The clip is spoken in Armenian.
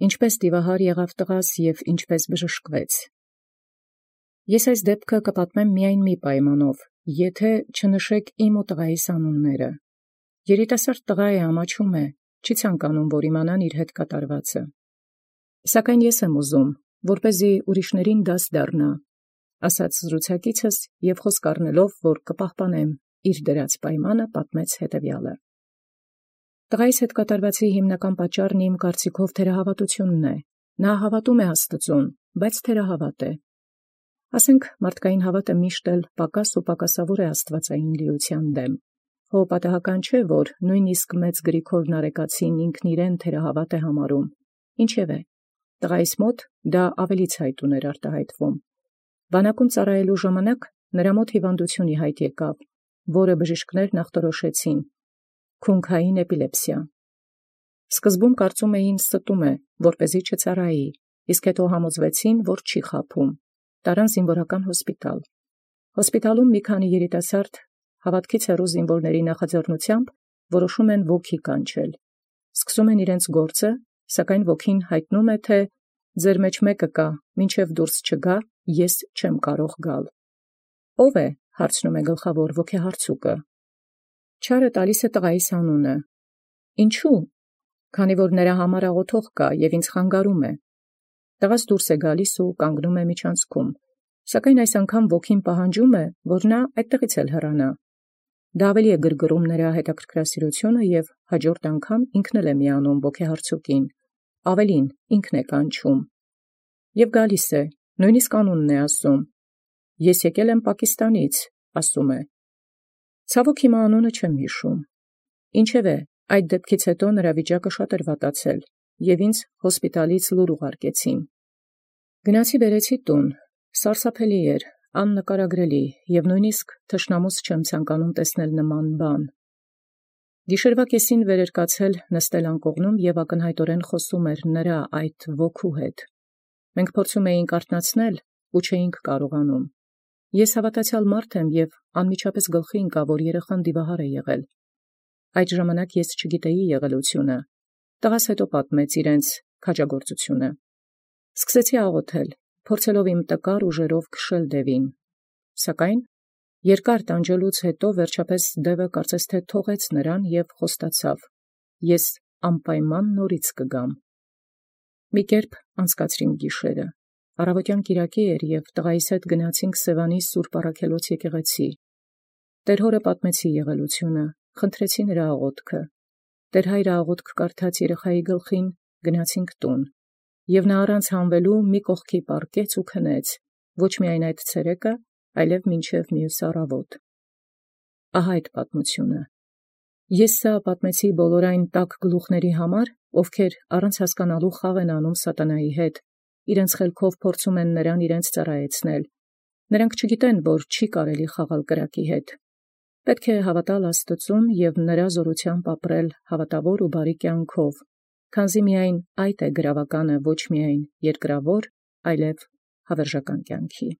Ինչպէս դիւահար եղաւ տղաս և ինչպէս բժշկվեց։ Ես այս դեպքը կպատմեմ միայն մի պայմանով, եթէ չնշէք իմ ու տղայիս անունները։ Երիտասարդ տղա է, ամաչում է, չի ցանկանում, որ իմանան իր հետ կատարվածը։ Սակայն ես եմ ուզում, որպեսզի ուրիշներին դաս դառնա, ասաց զրուցակիցս և խոսք առնելով, որ կպահպանեմ իր դրած պայմանը, պատմեց հետևյալը. Տղայիս հետ կատարվածի հիմնական պատճառն իմ կարծիքով թերահավատությունն է։ Նա հավատում է Աստծուն, բայց թերահավատ է։ Ասենք մարդկային հավատը միշտ էլ պակաս ու պակասավոր է աստվածային լիության դեմ։ Հո պատահական չէ, որ նույնիսկ մեծ Գրիգոր Նարեկացին ինքն իրեն թերահավատ է համարում։ Ինչևէ, տղայիս մոտ դա ավելի ցայտ ուներ արտահայտվում։ Բանակում ծառայելու ժամանակ նրա մոտ հիվանդություն ի հայտ եկավ, որը բժիշկներն ախտորոշեցին՝ քունքային էպիլեպսիա։ Սկզբում կարծում էին ստում է, որպեսզի չծառայի, իսկ հետո համոզվեցին, որ չի խաբում։ Տարան զինվորական հոսպիտալ։ Հոսպիտալում մի քանի երիտասարդ հավատքից հեռու զինվորների նախաձեռնությամբ որոշում են ոգի կանչել։ Սկսում են իրենց գործը, սակայն ոգին հայտնում է, թե ձեր մեջ մեկը կա, մինչև դուրս չգա, ես չեմ կարող գալ։ Ո՞վ է, հարցնում է գլխավոր ոգեհարցուկը։ Չարը տալիս է տղայիս անունը։ Ինչու՞։ Քանի որ նրա համար աղոթող կա և ինձ խանգարում է։ Տղաս դուրս է գալիս ու կանգնում է միջանցքում, սակայն այս անգամ ոգին պահանջում է, որ նա այդտեղից էլ հեռանա։ Դա ավելի է գրգռում նրա հետաքրքրասիրությունը և հաջորդ անգամ ինքն էլ է միանում ոգեհարցուկին, ավելին ինքն է կանչում։ Եվ գալիս է, նույնիսկ անունն է ասում։ Ես եկել եմ Պակիստանից, ասում է։ Ցավոք հիմա անունը չեմ հիշում։ Ինչևէ, այդ դեպքից հետո նրա վիճակը շատ էր վատացել, և ինձ հոսպիտալից լուր ուղարկեցին։ Գնացի բերեցի տուն, սարսափելի էր, աննկարագրելի, և նույնիսկ թշնամուս չեմ ցանկանում տեսնել նման բան։ Գիշերվա կեսին վեր էր կացել նստել անկողնում և ակնհայտորեն խոսում էր նրա այդ ոգու հետ։ Մենք փորձում էինք արթնացնել ու չէինք կարողանում։ Ես հավատացյալ մարդ եմ և անմիջապես գլխի ընկա, որ երեխան դիվահար է եղել։ Այդ ժամանակ ես չգիտեի եղելությունը։ Տղաս հետո պատմեց իրենց քաջագործությունը։ Սկսեցի աղոթել, փորձելով իմ տկար ուժերով քշել դևին։ Սակայն երկար տանջելուց հետո վերջապես դևը կարծես թե թողեց նրան և խոստացավ. ես անպայման նորից կգամ։ Մի կերպ անցկացրինք գիշերը։ Առավոտյան կիրակի էր և տղայիս հետ գնացինք Սևանի Սուրբ Առաքելոց եկեղեցի։ Տեր հորը պատմեցի եղելությունը, խնդրեցի նրա աղոթքը։ Տեր հայրը աղոթք կարդաց երեխայի գլխին, գնացինք տուն։ Եվ նա առանց հանվելու մի կողքի պառկեց ու քնեց, ոչ միայն այդ ցերեկը, այլև մինչև մյուս առավոտ։ Ահա այդ պատմությունը։ Ես սա պատմեցի բոլոր այն տաք գլուխների համար, ովքեր առանց հասկանալու խաղ են անում սատանայի հետ, իրենց խելքով փորձում են նրան իրենց ծառայեցնել։ Նրանք չգիտեն, որ չի կարելի խաղալ կրակի հետ։ Պետք է հավատալ Աստծուն և նրա զորությամբ ապրել հավատավոր ու բարի կյանքով, քանզի միայն այդ է գրավականը ոչ միայն երկրավոր, այլև հավերժական կյանքի։